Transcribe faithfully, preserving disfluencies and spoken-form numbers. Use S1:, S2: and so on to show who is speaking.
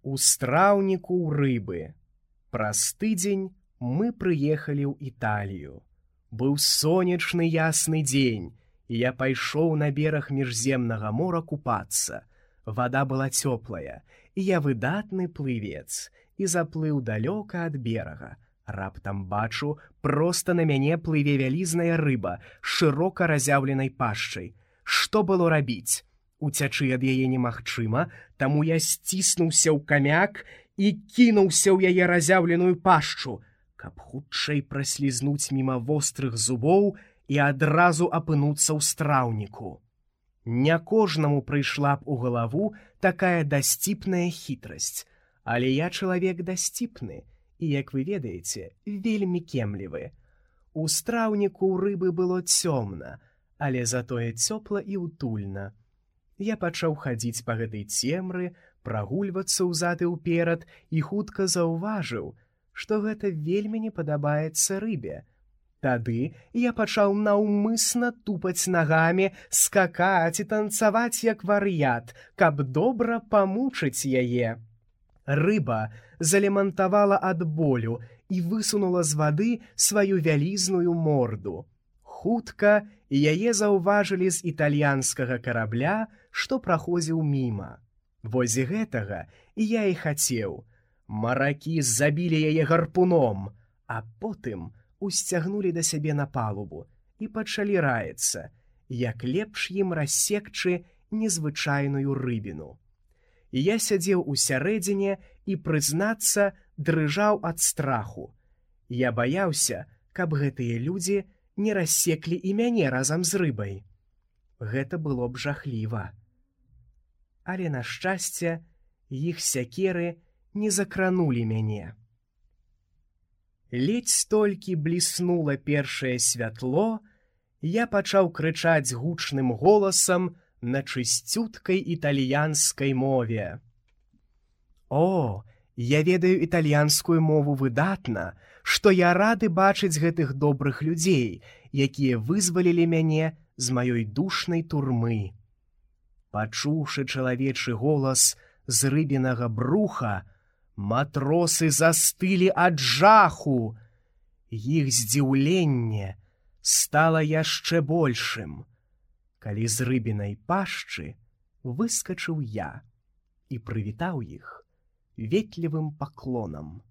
S1: У страўніку ў рыбы. Праз тыдзень мы прыехалі ў Італію. Быў сонечны ясны дзень, і я пайшоў на бераг міжземнага мора купацца. Вада была цёплая, і я выдатны плывец, і заплыў далёка ад берага. Раптам бачу, проста на мяне плыве вялізная рыба з шырока разяўленай пашчай. Што было рабіць? Уцячы ад яе немагчыма, таму я сціснуўся ў камяк і кінуўся ў яе разяўленую пашчу, каб хутчэй праслізнуць міма вострых зубоў і адразу апынуцца ў страўніку. Не кожнаму прыйшла б у галаву такая дасціпная хітрасць, але я чалавек дасціпны і, як вы ведаеце, вельмі кемлівы. У страўніку ў рыбы было цёмна, але затое цёпла і ўтульна. Я пачаў хадзіць па гэтай цемры, прагульвацца ўзад і ўперад і хутка заўважыў, што гэта вельмі не падабаецца рыбе. Тады я пачаў наўмысна тупаць нагамі, скакаць і танцаваць як вар'ят, каб добра памучыць яе. Рыба залемантавала ад болю і высунула з вады сваю вялізную морду. Хутка яе заўважылі з італьянскага карабля, што праходзіў міма. Вось гэтага я і хацеў. Маракі забілі яе гарпуном, а потым усцягнулі да сябе на палубу і пачалі раіцца, як лепш ім рассекчы незвычайную рыбіну. Я сядзеў усярэдзіне і, прызнацца, дрыжаў ад страху. Я баяўся, каб гэтыя людзі не рассеклі і мяне разам з рыбай. Гэта было б жахліва. Але, на шчасце, іх сякеры не закранулі мяне. Ледзь толькі бліснула першае святло, я пачаў крычаць гучным голасам на чысцюткай італьянскай мове. О, я ведаю італьянскую мову выдатна, што я рады бачыць гэтых добрых людзей, якія вызвалілі мяне з маёй душнай турмы. Пачуўшы чалавечы голас з рыбінага бруха, матросы застылі ад жаху. Іх здзіўленне стала яшчэ большым, калі з рыбінай пашчы выскачыў я і прывітаў іх ветлівым паклонам.